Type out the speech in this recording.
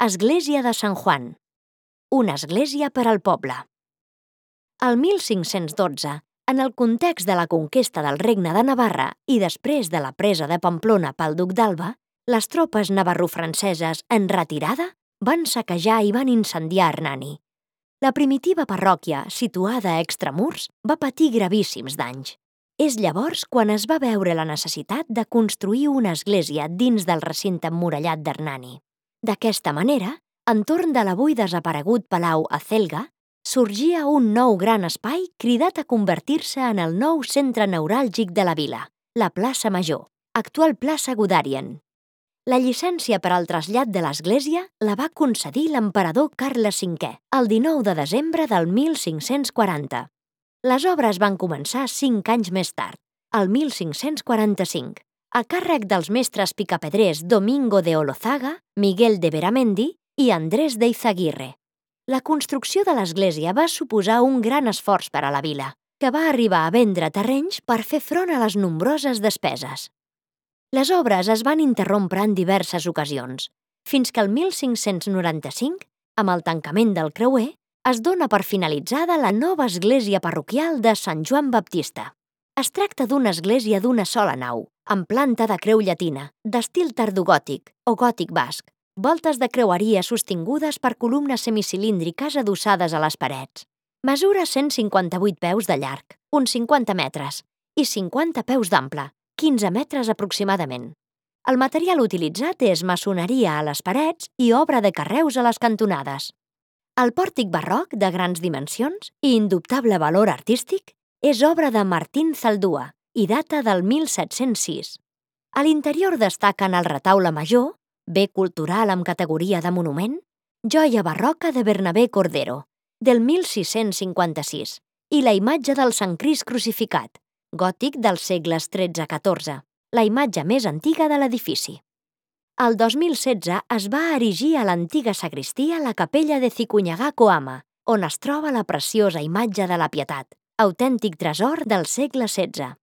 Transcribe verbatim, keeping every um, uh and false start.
Església de Sant Juan. Una església per al poble. El mil cinc-cents dotze, en el context de la conquesta del Regne de Navarra i després de la presa de Pamplona pel duc d'Alba, les tropes navarro-franceses en retirada van saquejar i van incendiar Hernani. La primitiva parròquia, situada a extramurs, va patir gravíssims danys. És llavors quan es va veure la necessitat de construir una església dins del recinte emmurallat d'Hernani. D'aquesta manera, entorn de l'avui desaparegut Palau Acelga, sorgia un nou gran espai cridat a convertir-se en el nou centre neuràlgic de la vila, la plaça Major, actual plaça Guderian. La llicència per al trasllat de l'església la va concedir l'emperador Carles cinquè, el dinou de desembre del mil cinc-cents quaranta. Les obres van començar cinc anys més tard, el mil cinc-cents quaranta-cinc, a càrrec dels mestres picapedrers Domingo de Olozaga, Miguel de Beramendi i Andrés de Izaguirre. La construcció de l'església va suposar un gran esforç per a la vila, que va arribar a vendre terrenys per fer front a les nombroses despeses. Les obres es van interrompre en diverses ocasions, fins que el mil cinc-cents noranta-cinc, amb el tancament del creuer, es dona per finalitzada la nova església parroquial de Sant Joan Baptista. Es tracta d'una església d'una sola nau, amb planta de creu llatina, d'estil tardogòtic o gòtic basc, voltes de creueria sostingudes per columnes semicilíndriques adossades a les parets. Mesura cent cinquanta-vuit peus de llarg, uns cinquanta metres, i cinquanta peus d'ample, quinze metres aproximadament. El material utilitzat és maçoneria a les parets i obra de carreus a les cantonades. El pòrtic barroc, de grans dimensions i indubtable valor artístic, és obra de Martín Zaldúa i data del mil set-cents sis. A l'interior destaquen el retaule major, bé cultural amb categoria de monument, joia barroca de Bernabé Cordero, del mil sis-cents cinquanta-sis, i la imatge del Sant Crist crucificat, gòtic dels segles tretze a catorze, la imatge més antiga de l'edifici. El dos mil setze es va erigir a l'antiga sagristia la capella de Cicunyagà Coama, on es troba la preciosa imatge de la Pietat, autèntic tresor del segle setze.